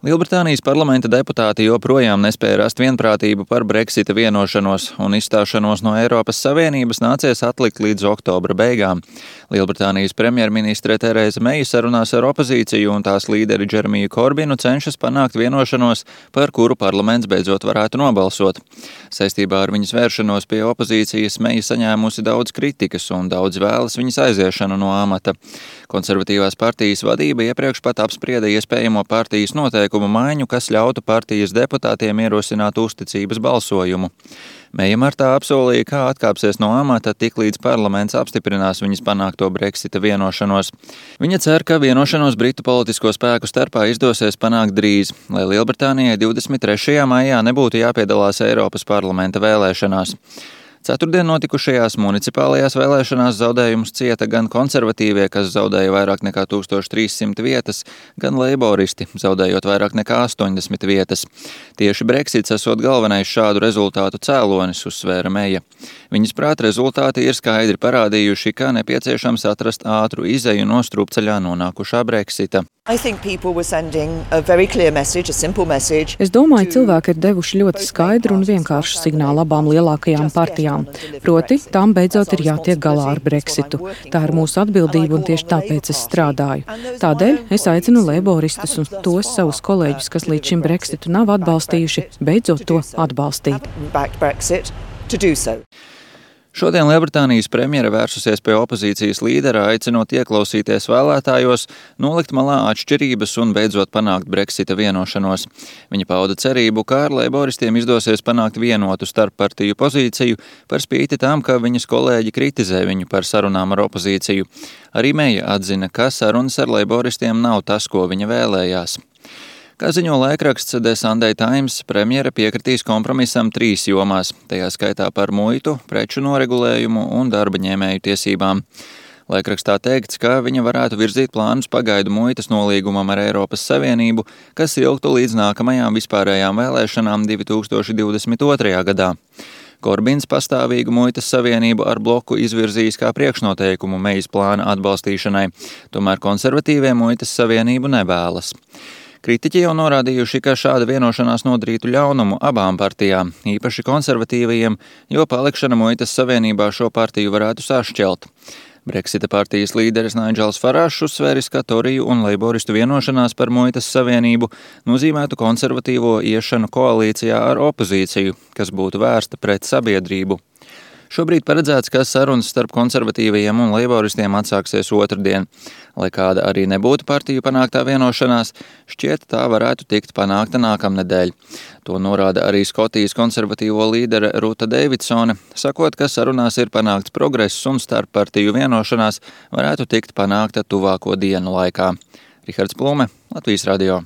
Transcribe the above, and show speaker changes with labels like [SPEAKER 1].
[SPEAKER 1] Lielbritānijas parlamenta deputāti joprojām nespēja rast vienprātību par Brexita vienošanos, un izstāšanos no Eiropas Savienības nācies atlikt līdz oktobra beigām. Lielbritānijas premjerministre Tereza Meija sarunās ar opozīciju un tās līderi Džeremiju Korbinu cenšas panākt vienošanos, par kuru parlaments beidzot varētu nobalsot. Saistībā ar viņas vēršanos pie opozīcijas Meija saņēmusi daudz kritikas un daudz vēlas viņas aiziešanu no amata. Konservatīvās partijas vadība iepriekš pat apsprieda iespējamo partijas noteikumu maiņu, kas ļautu partijas deputātiem ierosināt uzticības balsojumu. Meija martā apsolīja, ka atkāpsies no amata tiklīdz parlaments apstiprinās viņas panākto Brexita vienošanos. Viņa cer, ka vienošanos Britu politisko spēku starpā izdosies panākt drīz, lai Lielbritānijai 23. maijā nebūtu jāpiedalās Eiropas parlamenta vēlēšanās. Ceturtdien notikušajās municipālajās vēlēšanās zaudējumus cieta gan konservatīvie, kas zaudēja vairāk nekā 1300 vietas, gan leiboristi, zaudējot vairāk nekā 80 vietas. Tieši Brexits esot galvenais šādu rezultātu cēlonis, uzsvēra Meija. Viņas prāt rezultāti ir skaidri parādījuši, ka nepieciešams atrast ātru izeju no strupceļā nonākušā Brexita.
[SPEAKER 2] Es domāju, cilvēki ir devuši ļoti skaidru un vienkāršu signālu abām lielākajām partijām. Proti, tām beidzot ir jātiek galā ar Brexitu. Tā ir mūsu atbildība un tieši tāpēc es strādāju. Tādēļ es aicinu leiboristus un tos savus kolēģus, kas līdz šim Brexitu nav atbalstījuši, beidzot to atbalstīt.
[SPEAKER 1] Šodien Lielbritānijas premjere vērsusies pie opozīcijas līdera, aicinot ieklausīties vēlētājos, nolikt malā atšķirības un beidzot panākt Brexita vienošanos. Viņa pauda cerību, ka ar leiboristiem izdosies panākt vienotu starppartiju pozīciju, par spīti tam, ka viņas kolēģi kritizē viņu par sarunām ar opozīciju. Arī Meija atzina, ka sarunas ar leiboristiem nav tas, ko viņa vēlējās. Kā ziņo laikraksts The Sunday Times, premjere piekritīs kompromisam 3 jomās, tajā skaitā par muitu, preču noregulējumu un darba ņēmēju tiesībām. Laikrakstā teikts, ka viņa varētu virzīt plānus pagaidu muitas nolīgumam ar Eiropas Savienību, kas ilgtu līdz nākamajām vispārējām vēlēšanām 2022. gadā. Korbins pastāvīgu muitas savienību ar bloku izvirzījis kā priekšnoteikumu Meijas plāna atbalstīšanai, tomēr konservatīvie muitas savienību nevēlas. Kritiķi jau norādījuši, ka šāda vienošanās nodarītu ļaunumu abām partijām, īpaši konservatīvajiem, jo palikšana muitas savienībā šo partiju varētu sašķelt. Brexita partijas līderis Nigels Farāžs uzsvēris, ka Toriju un leiboristu vienošanās par muitas savienību nozīmētu konservatīvo iešanu koalīcijā ar opozīciju, kas būtu vērsta pret sabiedrību. Šobrīd paredzēts, ka sarunas starp konservatīvajiem un leiboristiem atsāksies otrdien. Lai kāda arī nebūtu partiju panāktā vienošanās, šķiet tā varētu tikt panākta nākamnedēļ. To norāda arī Skotijas konservatīvo līdere Ruta Deividsone, sakot, ka sarunās ir panākts progress un starppartiju vienošanās varētu tikt panākta tuvāko dienu laikā. Rihards Plume, Latvijas radio.